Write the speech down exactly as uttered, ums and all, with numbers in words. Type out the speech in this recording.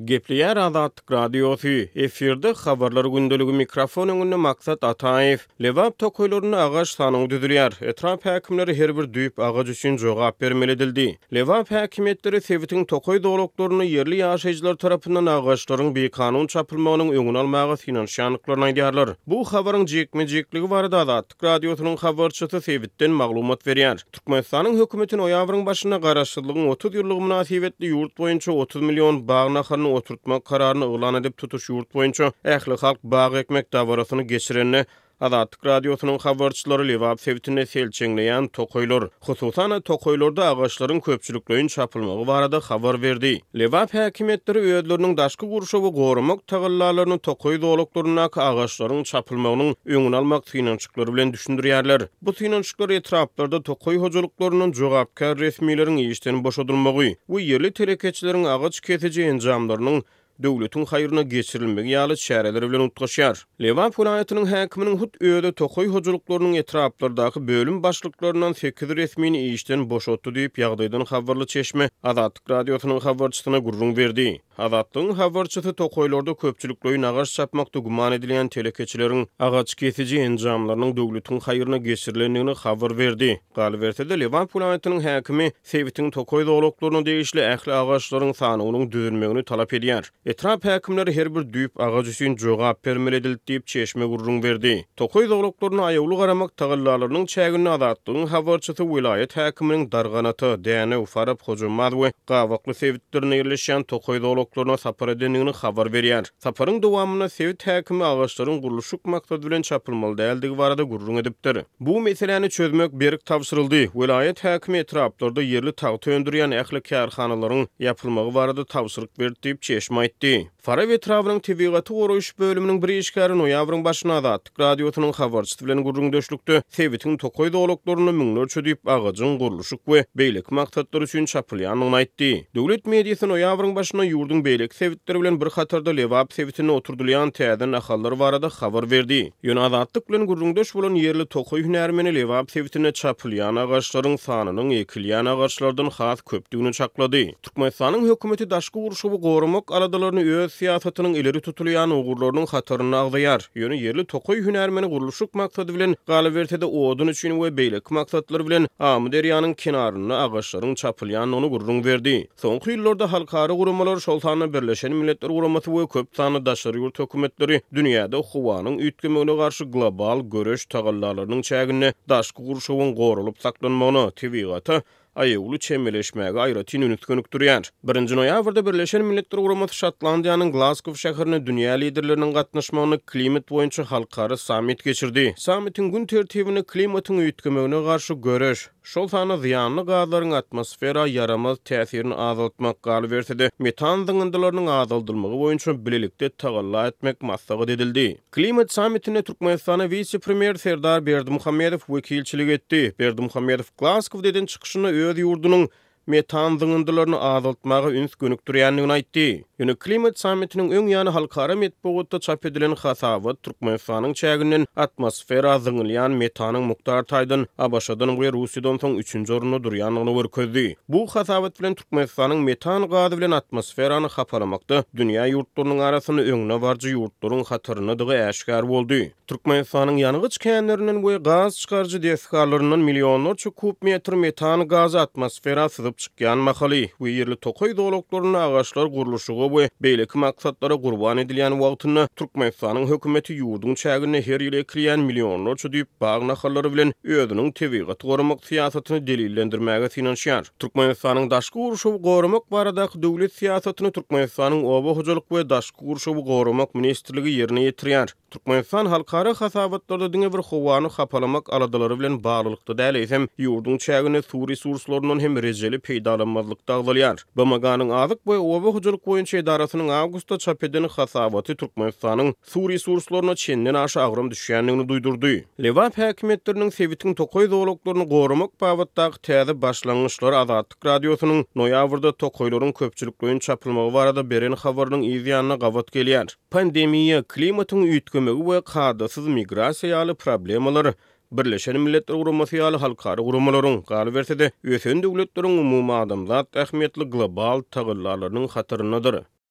Gepleýär Azatlyk Radiosy, efirde Habarlar gündeligi, mikrofon öňünde Maksat Ataýew. Lebap tokaýlarynda agaç sanawy düzülýär. Etrap häkimleri her bir düýp agaç üçin jogap bermeli edildi. Lebap häkimiýetleri sebitiň tokaý zolaklarynda ýerli ýaşaýjylar tarapyndan agaçlaryň bikanun çapylmagynyň öňüni almaga synanyşýandyklaryny aýdýarlar. Bu habaryň jikme-jikligi barada Azatlyk Radiosynyň habarçysy sebitden maglumat berýär. Türkmenistanyň hökümeti noýabryň başynda Garaşsyzlygyň otuz ýyllygy mynasybetli ýurt boýunça otuz million bag nahalyny oturtmak kararyny yglan edip, tutuş ýurt boýunça ählihalk bag ekmek dabarasyny geçirende, Azatlyk Radiosynyň habarçylary Lebap sebitinde selçeňleýän tokaýlar, hususan-da, tokaýlarda agaçlaryň köpçülikleýin çapylmagy barada habar berdi. Lebap häkimiýetleri özleriniň daşky gurşawy goramak tagallalaryny tokaý zolaklaryndaky agaçlaryň çapylmagynyň öňüni almak synanyşyklary bilen düşündirýärler. Bu synanyşyklar etraplarda tokaý hojalyklaryndan jogapkär resmileriň işden boşadylmagy we ýerli telekeçileriň agaç kesiji enjamlarynyň döwletiň haýryna geçirilmegi ýaly çäreler bilen utgaşýar. Lebap welaýatynyň häkiminiň hut özi tokaý hojalyklarynyň etraplardaky bölüm başlyklaryndan sekiz resmini işden boşatdy diýip, ýagdaýdan habarly çeşme Azatlyk Radiosynyň habarçysyna gürrüň berdi. Azatlygyň habarçysy tokaýlarda köpçülikleýin agaç çapmakda güman edilýän telekeçileriň agaç kesiji enjamlarynyň döwletiň haýryna geçirilendigini habar berdi. Galyberse-de, Lebap welaýatynyň häkimi sebitiň tokaý zolaklaryna degişli ähli agaçlaryň sanawynyň düzülmegini talap edýär. Etrap häkimleri her bir düýp agaç üçin jogap bermeli edildi diýip, çeşme gürrüň berdi. Tokaý zolaklaryna aýawly garamak tagallalarynyň çäginde Azatlygyň habarçysy welaýat häkiminiň Darganata, Dänew, Farap, Hojambaz we Gabakly sebitlerinde ýerleşýän tokaý zolaklaryna sapar edendigini habar berýär. Saparyň dowamynda sebit häkimi agaçlaryň gurluşyk maksady bilen çapylmaly däldigi barada gürrüň edipdir. Bu meseläni çözmek berk tabşyryldy. Welaýat häkimi etraplarda ýerli tagta öndürýän ähli kärhanalaryň ýapylmagy barada tabşyryk berdi diýip, çeşme aýtdy. Farap etrabynyň tebigaty goraýyş bölüminiň bir işgäri noýabryň başynda Azatlyk Radiosynyň habarçysy bilen gürrüňdeşlikde sebitiň tokaý zolaklarynda müňlerçe düýp agajyň gurluşyk we beýleki maksatlar üçin çapylýandygyny aýtdy. Döwlet mediasy noýabryň başynda ýurduň beýleki sebitleri bilen bir hatarda Lebap sebitinde oturdylýan täze nahallar barada habar berdi. Ýöne Azatlyk bilen gürrüňdeş bolan ýerli tokaý hünärmeni Lebap sebitinde çapylýan agaçlaryň sanynyň ekilýän agaçlardan has köpdügini çaklady. Türkmenistanyň hökümeti daşky gurşawy goramak aladalaryny öz syýasatynyň ileri tutulýan ugurlarynyň hatarynda agzaýar. Ýöne ýerli tokaý hünärmeni gurluşyk maksady bilen, galyberse-de odun üçin we beýleki maksatlar bilen Amyderýanyň kenarynda agaçlaryň çapylýandygyny gürrüň berdi. Soňky ýyllarda halkara guramalar, şol sanda Birleşen Milletler Guramasy we köp sanly daşary ýurt hökümetleri dünýäde howanyň üýtgemegine garşy global göreş tagallalarynyň çäginde daşky gurşawyň goralyp saklanmagyna, tebigata aýawly çemeleşmäge aýratyn üns gönükdirýär. Birinji noýabrda Birleşen Milletler Guramasy Şotlandiýanyň Glazgow şäherinde dünýä liderleriniň gatnaşmagynda klimat boýunça halkara sammit geçirdi. Sammitiň gün tertibine klimatyň üýtgemegine garşy göreş, şol sanda zyýanly gazlaryň atmosfera ýaramaz täsirini azaltmak, galyberse-de, metan zyňyndylarynyň azaldylmagy boýunça bilelikde tagalla etmek maslahat edildi. Klimat sammitinde Türkmenistana wise-premýer Serdar Berdimuhamedow wekilçilik etdi. Berdimuhamedow Glazgowda eden çykyşynda öz ýurdunyň metan zyňyndylaryny azaltmaga üns gönükdirýändigini aýtdy. Ýöne klimat sammitiniň öň ýany halkara metbugatda çap edilen hasabat Türkmenistanyň çäginden atmosfera zyňylýan metanyň mukdar taýdan ABŞ-dan we Russiýadan soň üçünji orunda durýandygyny görkezdi. Bu hasabat bilen Türkmenistanyň metan gazy bilen atmosferany hapalamakda dünýä ýurtlarynyň arasynda öňdebaryjy ýurtlaryň hataryndadygy äşgär boldy. Türkmenistanyň ýangyç känlerinden we gaz çykaryjy desgalaryndan millionlarça kub metr metan gazy atmosfera syzyp çykýan mahaly we ýerli tokaý zolaklarynda agaçlar gurluşyga we beýleki maksatlara gurban edilýän wagtynda Türkmenistanyň hökümeti ýurduň çäginde her ýyl ekilýän millionlarça düýp bag nahallary bilen özüniň tebigaty goramak syýasatyny delillendirmäge synanyşýar. Türkmenistanyň daşky gurşawy goramak baradaky döwlet syýasatyny Türkmenistanyň Oba hojalyk we daşky gurşawy goramak ministrligi ýerine ýetirýär. Türkmenistan halkara hasabatlarda diňe bir howany hapalamak aladalary bilen baglylykda däl, eýsem, ýurduň çäginde suw resurslaryndan hem rejeli peýdalanmazlykda agzalýar. B M G-nyň Azyk we oba hojalyk boýunça edarasynyň awgustda çap eden hasabaty Türkmenistanyň suw resurslaryna çenden aşa agram düşýändigini duýdurdy. Lebap häkimiýetleriniň sebitiň tokaý zolaklaryny goramak babatdaky täze başlangyçlary Azatlyk Radiosynyň noýabrda tokaýlaryň köpçülikleýin çapylmagy barada beren habarynyň yz ýanyna gabat gelýär. Pandemiýa, klimatyň üýtgemegi we kadasyz migrasiýa ýaly problemalar Birleşen Milletler Guramasy ýaly halkara guramalaryň, galyberse-de, ösen döwletleriň umumadamzat ähmiýetli global tagallalarynyň hataryndadyr.